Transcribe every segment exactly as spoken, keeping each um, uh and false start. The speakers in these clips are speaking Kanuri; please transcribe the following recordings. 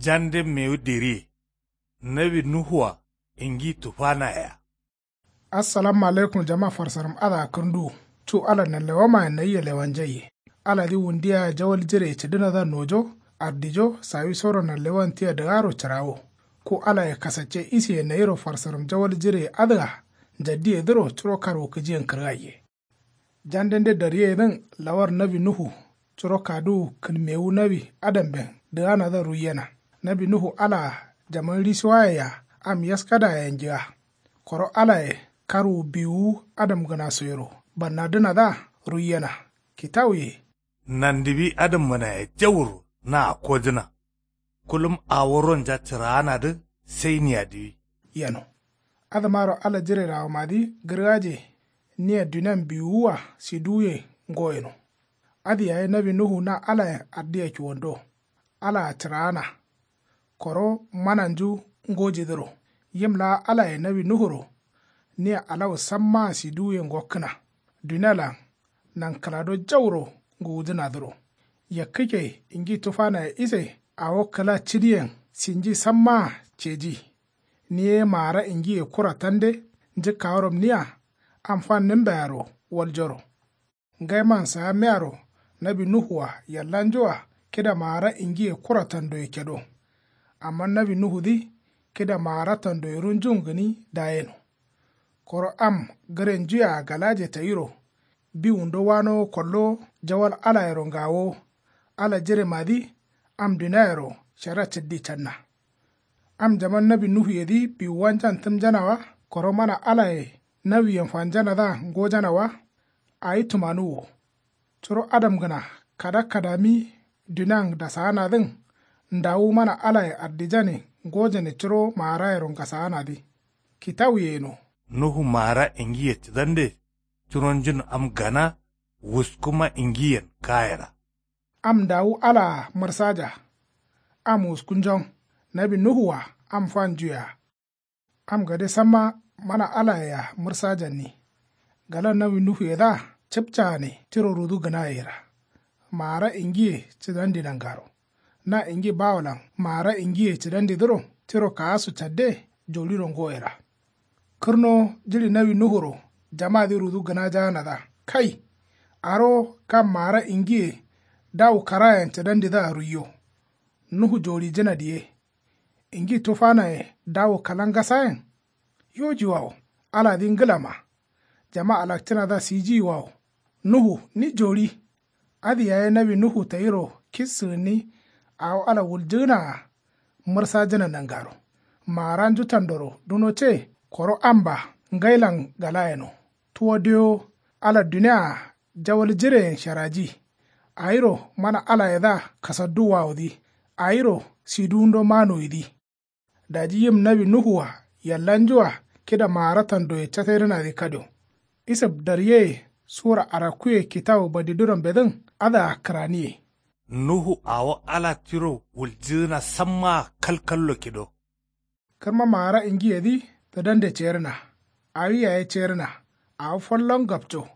Jande mewu diriye. Nawi nuhuwa ingi tufanayea. Assalamu alaikum jama farsaram adǝa kǝrnduwu. Cu ala nanlewamayen nayia lewanjaiye. Aladǝ wundiya jawal jireye cǝdǝnadǝa nojo, ardijo sawisoro nanlewan tia dǝgaro cǝrawo. Ku alaye kasacce isiye nayiro farsaram jawal jireye adǝa njaddiyedǝro curo karwukǝjiyen kǝrgaiye. Jandende daryeyedǝn lawar nawi nuhu. Curo kaduwu kǝnmewu nawi adamben dǝganadǝa ruiyena. Nawi nuhu alaa jaman risiwaye-a am yaskadaye-a njiga. Koro alaye karwu biwuwu adamgǝnasoyero bannadǝnadǝa ruiyena. Kitawuye. Nandiwi adamgǝnaye jauro na akkojǝna. Kulum awo ronja cǝraanadǝ sai niadiwi. Yeno. Adǝmaro ala jirerawomadǝ gǝrgaje. Nia dunian biwuwua siduwuyen ngo yeno. Adǝ yaye nawi nuhu na alayen ardiya kiwando. Alaa cǝraana. Koro mananju ngojidǝro. Yim laa alaye nawi nuhuro. Nia alawu sammaa siduwuyen ngokkǝna. Dunialan nankǝlado jauro ngǝwujǝnadǝro. Yakkǝkke ingi tufanaye ise awo kǝla cǝdiyen sinji sammaa ceji. Ni ye maara ingiye kura tande njǝkkaworom nia am fannǝmbearo waljoro. Ngaiman saamiyaro nawi nuhu-a yallanju-a kida maara ingiye kura tandoye kedo. Amma nawi nuhudǝ kida maara tandoye runjun gǝni dayeno. Koro am gǝrenjuye-a galaje tayiro. Biwundo wanowo kollowo jawal alayero ngawowo. Ala jiremadǝ am duniayero shara cǝddi canna. Am jaman nawi nuhuyedǝ biwuwanjan tǝmjana wa. Koro mana alaye nawiyen fanjanadǝa ngojana wa. Awi tumanuwwo. Curo adamgǝna kada kadami dunian dasaanadǝn. Ndawu mana alaye ardijane ngojane curo maarayero ngasaanadǝ. Kitawuye yeno. Nuhu maara ingiye cǝdande curonjun am gana. Wuskuma ingiyen kayera. Am ndawu alaa mǝrsaja. Am wuskunjon. Nawi nuhu-a am fanjuyea. Am gade samma mana alaye-a mǝrsajanni. Galan nawi nuhuyedǝa cǝpcagane tiro rudu gǝnayera. Maara ingiye cǝdandi nangaro. Na ingi bawolan maara ingiye cǝdandidǝro tiro kaasu cadde joliro ngoyera. Kǝrnowo jiɍi nawi nuhuro jamadǝ rudu gǝnajaanadǝa kai. Arowo kam maara ingiye dawu karayen cǝdandidǝa ruiyo. Nuhu joɍijǝna diye. Ingi tufanaye dawu kalangasayen. Yojiwawo aladǝ ngǝlama. Jama alakcǝnadǝa sijiyiwawo. Nuhu ni joɍi. Adǝ yaye nawi nuhu tayiro kissǝgǝnni. Awo ala wuljǝgǝna-a mǝrsajǝna nangaro. Maaranju tandoro duno ce. Koro amba ngailan galayeno. Tuwa dewo ala dunia-a jawal jireyen sharaji. Awiro mana alayedǝa kasadduwawodǝ. Awiro siduwundo manoyidǝ. Daji yim nawi nuhu-a yallanju-a kida maara tandoye casaidǝnadǝ kadio. Isǝb daryeye sura arakkuye kitawu badiduranbedǝn adǝa kǝraniye. Nuhu awo ala tiro wuljǝdǝna sammaa kalkallo kido. Kǝrma maara ingiyedǝ tǝdande cerǝna. Awi yaye cerǝna. Awo fallon gapco.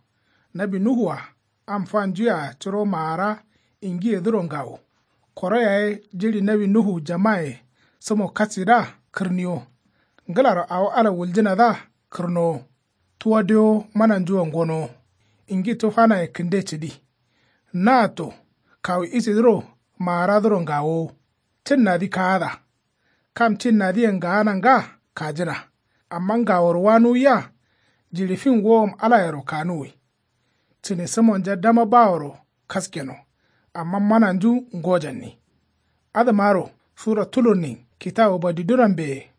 Nawi nuhu-a am fanju-a curo maara ingiyedǝro ngawo. Koro yaye jiɍi nawi nuhu jamaye sǝmo kasidǝa kǝrniwo. Ngǝlaro awo ala wuljǝnadǝa kǝrnowo. Tuwa dewo mananjua ngonowo. Ingi tufanaye kǝnde cǝdi. Naatto kawu isidǝro maaradǝro ngawowo. Cǝnnadǝ kaada. Kam cinnadǝyen gaana nga kajǝna. Amma ngaworo wanuwiya. Jiɍi fin wowom alayero kanuwi. Cǝne sǝmonja dama baworo kaskeno. Amma mananju ngojanni. Adǝmaro sura tulurnin kitawu badiduranbeye.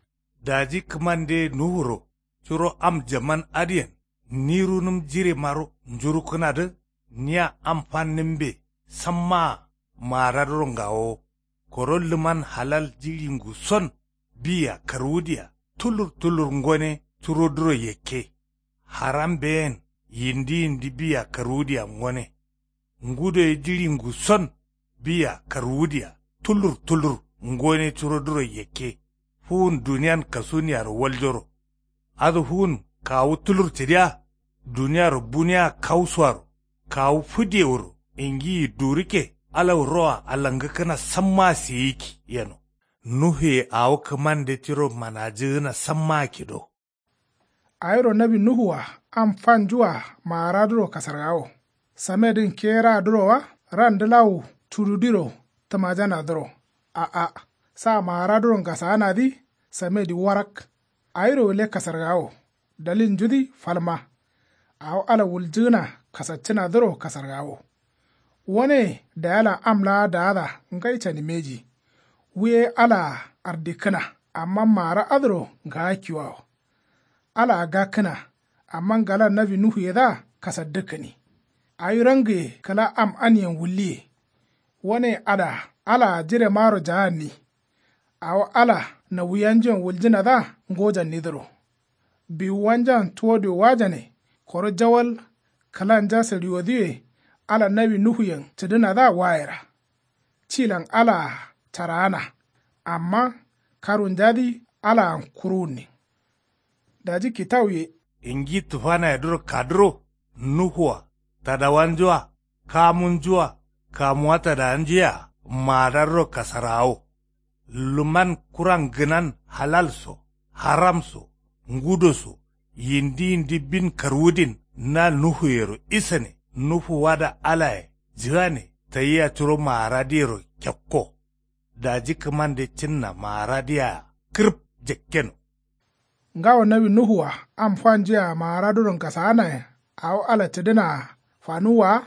Daji kǝmande nuhuro curo am jaman adǝyen ni runǝm jiremaro njurukkǝnadǝ. Nia am fannǝmbe sammaa maaradǝro ngawowo. Koro lǝman halal jiɍi nguson biya karwudiya tulur tulur ngone curodǝro yakke. Haram beyen yindi yindi biya karwudiya ngone. Ngudoye jiɍi nguson biya karwudiya tulur tulur ngone curodǝro yakke. Fuwun duniyan kasuniyaro waljoro. Adǝ fuwun kawu tulur cǝdiya. Duniyaro buniya kausuwaro kawu fǝdewuro ingiyi durukke alawu roa alangǝkkǝna sammaa seyikki yeno. Nuhuye awo kǝmande tiro manajǝgǝna sammaa kido. Awiro nawi nuhu-a am fanju-a maaraduro kasargawo. Samedǝn keraduro wa ran dǝlawu cududiro tǝmajanadǝro. A'a, sa maaraduro ngasaanadǝ samedǝ warak. Awiro gǝle kasargawo. Dalilnjudǝ falma. Awo ala wuljǝgǝna kasaccǝnadǝro kasargawo. Wane dayalan am laa daada ngai cani mbeji. Wu ye alaa ardikkǝna. Amma maara adǝro ngaakkiwawo. Alaa gakkǝna. Amma ngalan nawi nuhuyedǝa kasaddǝkkǝni. Awi rangǝye kǝla am aniyen wulliye. Wane ada alaa jiremaro jaanni. Awo ala nawuyanjuyen wuljǝnadǝa ngojannidǝro. Biwuwanjan tuwo diwowajane. Koro jawal kǝlanja sǝɍiwodǝye. Ala nawi nuhuyen cǝdǝnadǝa wayera. Cilan alaa caraana. Amma karunjadǝ alaan kuruwunnin. Daji kitawuye. Ingi tufanayedǝro kadǝro nuhu-a tadawanju-a kamunju-a kamuwa tadawanju-a maadadǝro kasarawo. Luman kuran gǝnan halal so haram so ngudo so yindi yindi bin karwudin na nuhuyero isane nuhu wada alaye jǝgane tayia curo maaradǝyero kekko. Daji kǝmande cǝnna maaradǝyea kǝrǝp jakkeno. Ngawo nawi nuhu-a am fanju-a maara duron kasaanayen awo ala cǝdǝnaa fanuwwa-a.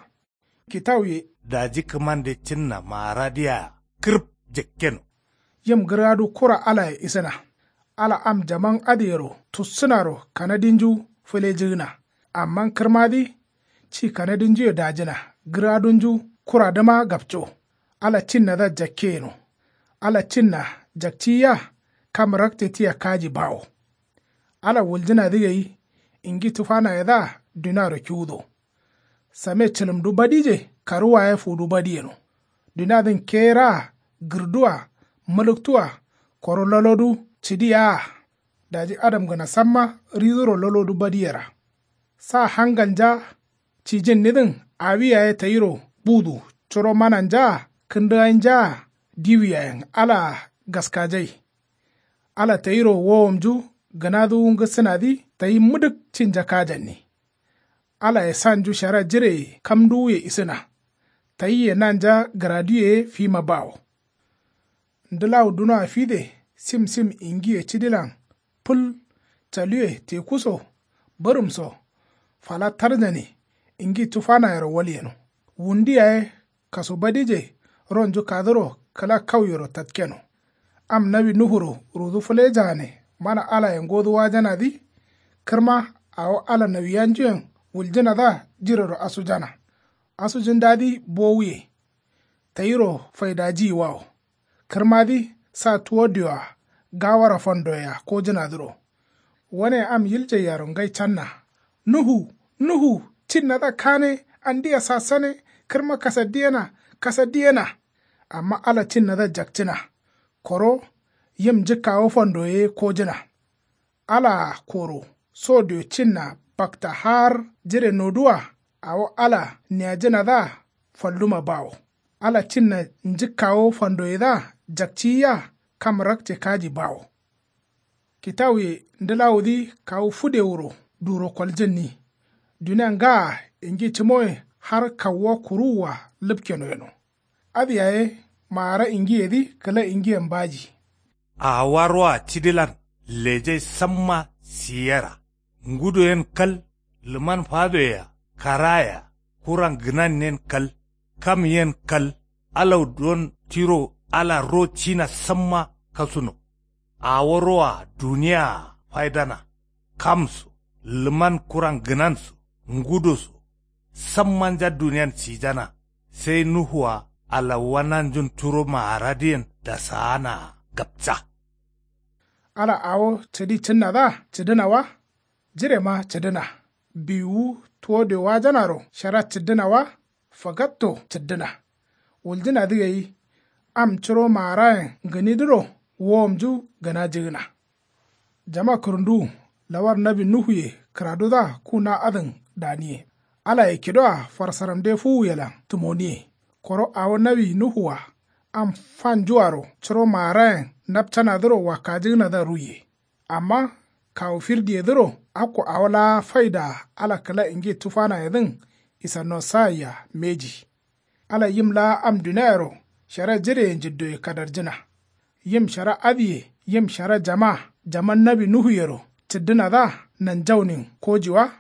Kitawuye. Daji kǝmande cǝnna maaradǝyea kǝrǝp jakkeno. Yim gǝrgadu kura alaye isǝna. Ala am jaman adǝyero tussǝnaro kanadinju fǝlejǝgǝna. Amma kǝrmadǝ ci kanadinjuye dajǝna gǝrgadunju kuradǝma gapco. Ala cinnadǝa jakke yeno. Ala cinna jakciyiya kam rakce tia kaji bawo. Ala wuljǝnadǝ gai ingi tufanayedǝa duniaro kiwudo. Same cǝlǝmdu badije karuwa ye fudu badi yeno. Duniadǝn keraa gǝrduwa mǝlǝktuwa koro lolodu cǝdi yea. Daji adamgǝna samma riduro lolodu badiyera. Sa hangalnja cijǝnnidǝn awi yaye tayiro budu curo mananjaa kǝndǝgainjaa diwi yayen alaa gaskajai. Ala tayiro wowomnju gǝnaduwu ngǝsǝnadǝ tayi mǝdǝk cinja kajanni. Alaye sanju shara jireye kamduwuye isǝna. Tayiye nanja gǝraduye ye fima bawo. Ndǝlawu dunoa fide sim sim ingiye cidilan fǝl caluwe teku so bǝrǝm so fala tarjane. Ingi tufanayero walyeno. Wundu yaye kasu badije ronju kaduro kǝla kauyero tatkeno. Am nawi nuhuro rudu fǝlejaane mana alaye ngoduwajanadǝ. Kǝrma awo ala nawiyanjuyen wuljǝnadǝa jirero asujana. Asujǝndadǝ bowuye. Tayiro faidajiyiwawo. Kǝrmadǝ sa tuwo dioa gawara fandoyea kojǝnadǝro. Wane am yiljaiyaro ngai canna. Nuhu nuhu cinnadǝa kane andia sasane. Kǝrma kasaddiyena kasaddiyena. Amma ala cinnadǝa jakcǝna. Koro yim njǝkkawo fandoye ye kojǝna. Alaa koro so dio cinna bakta har jire noduwa. Awo ala niyajǝnadǝa falluma bawo. Ala cinna njǝkkawo fandoyedǝa jakciyia kam rakce kaji bawo. Kitawuye ndǝlawudǝ kawu fǝdewuro duro koljǝnni. Dunia ngaa ingi cǝmoye har kawuwa kuruwua lǝpkeno yeno. Adǝ yaye maara ingiyedǝ kǝla ingiyen baji. Awaroa cidilan lejai samma siyera. Ngudo yen kal lǝman fadoyea karayea kuran gǝnan yen kal kam yen kal. Alau don tiro ala ro cina samma kasuno. Awo roa duniyaa faidana. Kam so lǝman kuran gǝnan so ngudo so sammanja duniyan cijana. Sai nuhua alawuwa nanjun turo maaradǝyen dasaanaa gapca. Ala awo cǝdi cǝnnadǝa cǝdǝna wa. Jirema cǝdǝna. Biwuwu tuwo diowajanaro shara cǝddǝna wa. Fagatto cǝddǝna. Wuljǝnadǝ gai am curo maarayen gǝnidǝro wowomnju gǝnajǝgǝna. Jama kǝrǝnduwu lawar nawi nuhuye kǝradudǝa ku na adǝn daniye. Alaye kidoa farsaramde fuwuyelan tǝmoniye. Koro awo nawi nuhu-a Am fanjuaro curo maarayen napcanadǝro wakkajǝgǝnadǝa ruiye. Amma kawu firdiyedǝro akko awo laa faidaa ala kǝla ingi tufanayedǝn isannonsayiya mbeji. Ala yim laa am duniayero shara jireye njiddoye kadarjǝna. Yim shara adǝye yim shara jama jaman nawi nuhuyero cǝddǝnadǝa nanjaunin koji wa?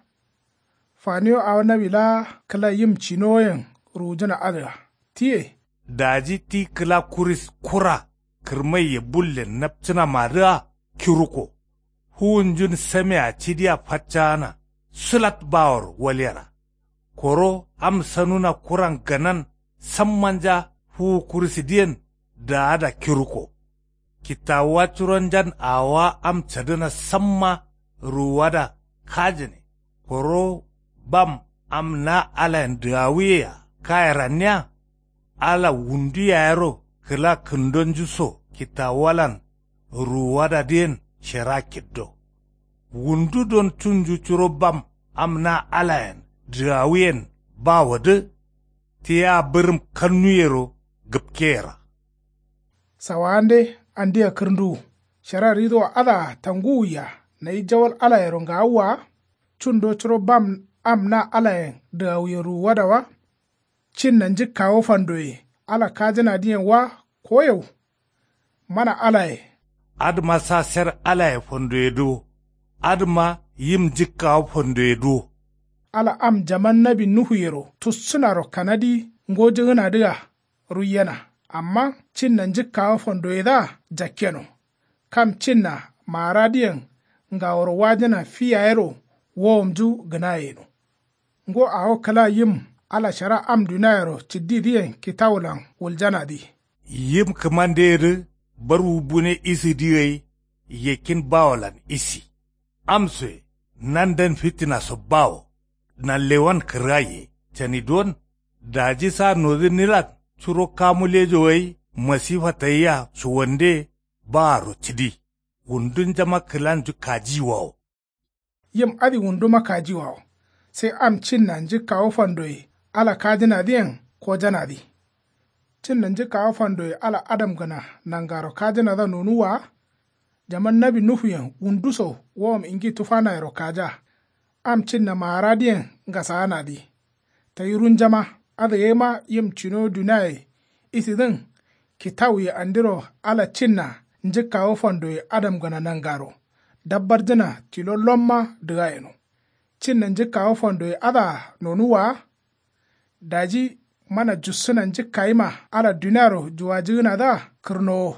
Faniyo awo nawi laa kǝla yim cinowoyen ruwujǝna adǝa tiye. Daji ti kǝla kuris kura kǝrmaiye bullen napcǝnamadǝa kiruko. Fuwunjun samea cidia faccaana sulat baworo walyera. Koro am sanuna kuran ganan sammanja fuwu kurisidǝyen daada kiruko. Kittawuwa curonjan awowa am cadǝna samma ruwuwada kajǝne. Koro bam am na alayen dǝgawuyea kaye ranniya. Ala wundu yayero kǝla kǝndonju so kittawuwalan ruwuwadadǝyen shera kiddo. Wundu don cunju curo bam am na alayen dǝgawuyen bawodǝ. Tiya bǝrǝm kannuyero gǝpkeyera. Sawawande andia kǝrnduwu shara ridowa adǝa tanguwuya nayi jawal alayero ngawuwa wa? Cundo curo bam am na alayen dǝgawuyen ruwuwada wa? Cinna njǝkkawo fandoye ala kajǝnadǝyen wa koyau? Mana alaye. Adǝma sa ser alaye fandoyedǝ wo. Adǝma yim njǝkkawo fandoyedǝ wo. Ala am jaman nawi nuhuyero tussǝnaro kanadi ngojǝgǝnadǝa ruiyena. Amma cinna njǝkkawo fandoyedǝa jakkeno. Kam cinna maaradǝyen ngaworo wajǝna fi yayero wowomnju gǝnaye yeno. Ngo awo kǝla yim ala shara am duniayero cǝddidǝyen kitawulan wuljanadǝ. Yim kǝmandeyedǝ barwu bune isidǝ gai. Yakkin bawolan isi. Amsoye nanden fittinaso bawo. Nanlewan kǝrgaiye cani duwon. Daji sa nodǝ nilan curo kamu lejo gai masifa tayia cuwande. Baaro cǝdi. Wundunjama kǝlanju kajiwawo. Yim adǝ wunduma kajiwawo. Sai am cinna njǝkkawo fandoye ala kajǝnadǝyen kojanadǝ. Cinna njǝkkawo fandoye ala adamgǝna nangaro kajǝnadǝa nonuwwa wa? Jaman nawi nuhuyen wundu so wowom ingi tufanayero kaja. Am cinna maaradǝyen ngasaanadǝ. Tayi runjama adǝgaima yim cinowo duniaye isidǝn. Kitawuye andiro ala cinna njǝkkawo fandoye adamgǝna nangaro dabbarjǝna tilo lomma dǝga yeno. Cinna njǝkkawo fandoye adǝa nonuwwa wa? Daji mana jussǝna njǝkkayima ala duniaro juwajǝgǝnadǝa kǝrnowo.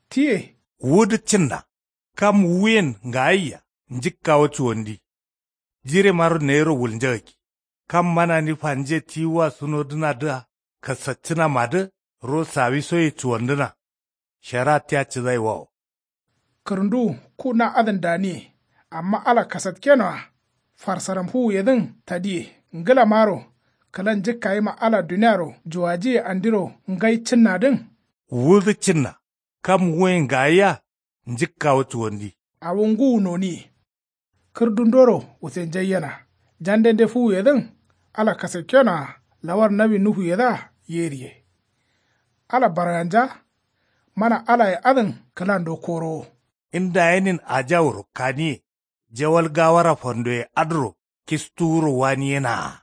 Tiye. Wudǝ cinna. Kam wuyen ngayia njǝkkawo cuwandi. Jiremaro nayiro wulnjagakki. Kam manani fanje tiwuwa sunodǝnadǝa kasaccǝnamadǝ ro sawisoye cuwandǝna. Shara tia cǝdaiwawo. Kǝrǝnduwu ku na adǝn daniye. Amma ala kasatkenoa. Farsaram fuwuyedǝn tadiye. Ngǝlamaro kǝla njǝkkayima ala duniaro juwajiye andiro ngai cǝnnadǝn. Wudǝ cǝnna. Kam wuyen ngayia njǝkkawo cuwandi. Awo ngǝwu noniye. Kǝrdundoro wusenjaiyena. Jandende fuwuyedǝn ala kasakkenoa lawar nawi nuhuyedǝa yeriye. Ala barganja. Mana alaye adǝn kǝlando korowo. Nda yenin ajawuro kaniye. Jawal gawara fandoye adǝro kistuwuro waniyenaa.